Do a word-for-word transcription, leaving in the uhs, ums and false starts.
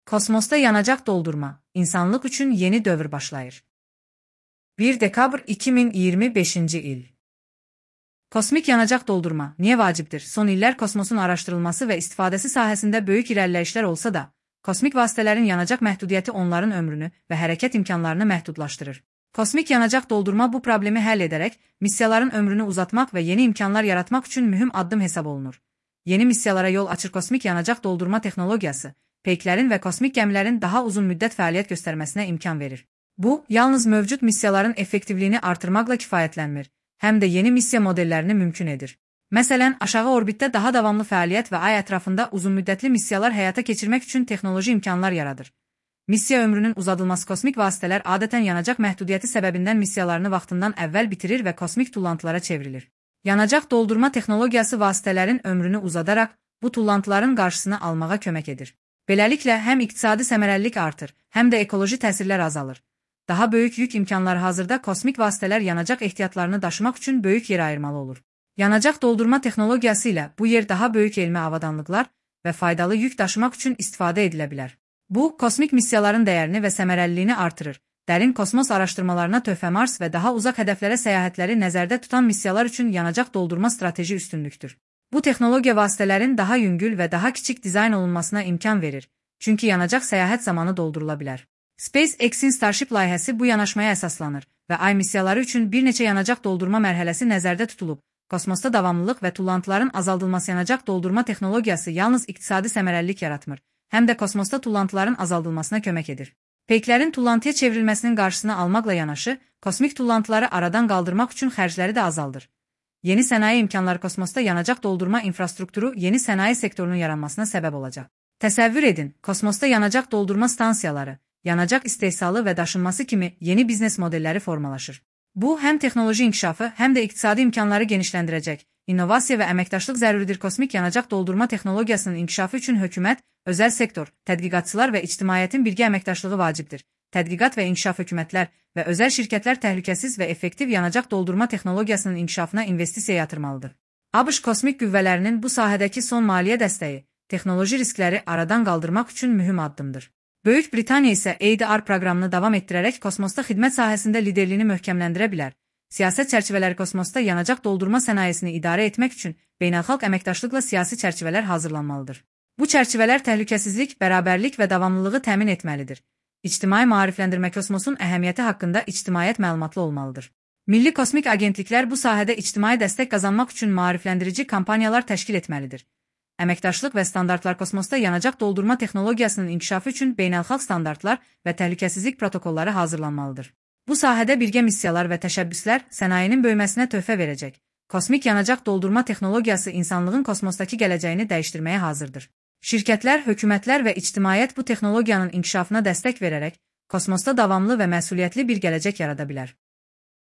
Kosmosda yanacaq doldurma, insanlıq üçün yeni dövr başlayır. bir dekabr iki min iyirmi beşinci il. Kosmik yanacaq doldurma niyə vacibdir? Son illər kosmosun araşdırılması və istifadəsi sahəsində böyük irəliləyişlər olsa da, kosmik vasitələrin yanacaq məhdudiyyəti onların ömrünü və hərəkət imkanlarını məhdudlaşdırır. Kosmik yanacaq doldurma bu problemi həll edərək, missiyaların ömrünü uzatmaq və yeni imkanlar yaratmaq üçün mühüm addım hesab olunur. Yeni missiyalara yol açır kosmik yanacaq doldurma texnologiyası, peyklərin və kosmik gəmilərin daha uzun müddət fəaliyyət göstərməsinə imkan verir. Bu, yalnız mövcud missiyaların effektivliyini artırmaqla kifayətlənmir, həm də yeni missiya modellərini mümkün edir. Məsələn, aşağı orbitdə daha davamlı fəaliyyət və ay ətrafında uzunmüddətli missiyalar həyata keçirmək üçün texnoloji imkanlar yaradır. Missiya ömrünün uzadılması kosmik vasitələr adətən yanacaq məhdudiyyəti səbəbindən missiyalarını vaxtından əvvəl bitirir və kosmik tullantılara çevrilir. Yanacaq doldurma texnologiyası vasitələrin ömrünü uzadaraq bu tullantıların qarşısını almağa kömək edir. Beləliklə, həm iqtisadi səmərəlilik artır, həm də ekoloji təsirlər azalır. Daha böyük yük imkanları hazırda kosmik vasitələr yanacaq ehtiyatlarını daşımaq üçün böyük yer ayırmalı olur. Yanacaq doldurma texnologiyası ilə bu yer daha böyük elmi avadanlıqlar və faydalı yük daşımaq üçün istifadə edilə bilər. Bu, kosmik missiyaların dəyərini və səmərəliliyini artırır. Dərin kosmos araşdırmalarına töhfə Mars və daha uzaq hədəflərə səyahətləri nəzərdə tutan missiyalar üçün yanacaq doldurma strateji üstünlükdür. Bu texnologiya vasitələrin daha yüngül və daha kiçik dizayn olunmasına imkan verir, çünki yanacaq səyahət zamanı doldurula bilər. SpaceX'in Starship layihəsi bu yanaşmaya əsaslanır və ay missiyaları üçün bir neçə yanacaq doldurma mərhələsi nəzərdə tutulub. Kosmosda davamlılıq və tullantıların azaldılması yanacaq doldurma texnologiyası yalnız iqtisadi səmərəlilik yaratmır, həm də kosmosda tullantıların azaldılmasına kömək edir. Peyklərin tullantıya çevrilməsinin qarşısını almaqla yanaşı, kosmik tullantıları aradan qaldırmaq üçün xərcləri də azaldır. Yeni sənaye imkanları kosmosda yanacaq doldurma infrastrukturu yeni sənaye sektorunun yaranmasına səbəb olacaq. Təsəvvür edin, kosmosda yanacaq doldurma stansiyaları, yanacaq istehsalı və daşınması kimi yeni biznes modelləri formalaşır. Bu, həm texnoloji inkişafı, həm də iqtisadi imkanları genişləndirəcək. İnnovasiya və əməkdaşlıq zəruridir. Kosmik yanacaq doldurma texnologiyasının inkişafı üçün hökumət, özəl sektor, tədqiqatçılar və ictimaiyyətin birgə əməkdaşlığı vacibdir. Tədqiqat və inkişaf hökumətlər və özəl şirkətlər təhlükəsiz və effektiv yanacaq doldurma texnologiyasının inkişafına investisiya yatırmalıdır. ABŞ kosmik qüvvələrinin bu sahədəki son maliyyə dəstəyi, texnoloji riskləri aradan qaldırmaq üçün mühüm addımdır. Böyük Britaniya isə A D R proqramını davam etdirərək kosmosda xidmət sahəsində liderliyini möhkəmləndirə bilər. Siyasət çərçivələri kosmosda yanacaq doldurma sənayesini idarə etmək üçün beynəlxalq əməkdaşlıqla siyasi çərçivələr hazırlanmalıdır. Bu çərçivələr təhlükəsizlik, bərabərlik və davamlılığı təmin etməlidir. İctimai maarifləndirmə kosmosun əhəmiyyəti haqqında ictimaiyyət məlumatlı olmalıdır. Milli kosmik agentliklər bu sahədə ictimai dəstək qazanmaq üçün maarifləndirici kampaniyalar təşkil etməlidir. Əməkdaşlıq və standartlar kosmosda yanacaq doldurma texnologiyasının inkişafı üçün beynəlxalq standartlar və təhlükəsizlik protokolları hazırlanmalıdır. Bu sahədə birgə missiyalar və təşəbbüslər sənayenin böyüməsinə töhfə verəcək. Kosmik yanacaq doldurma texnologiyası insanlığın kosmosdakı gələcəyini dəyişdirməyə hazırdır. Şirkətlər, hökumətlər və ictimaiyyət bu texnologiyanın inkişafına dəstək verərək kosmosda davamlı və məsuliyyətli bir gələcək yarada bilər.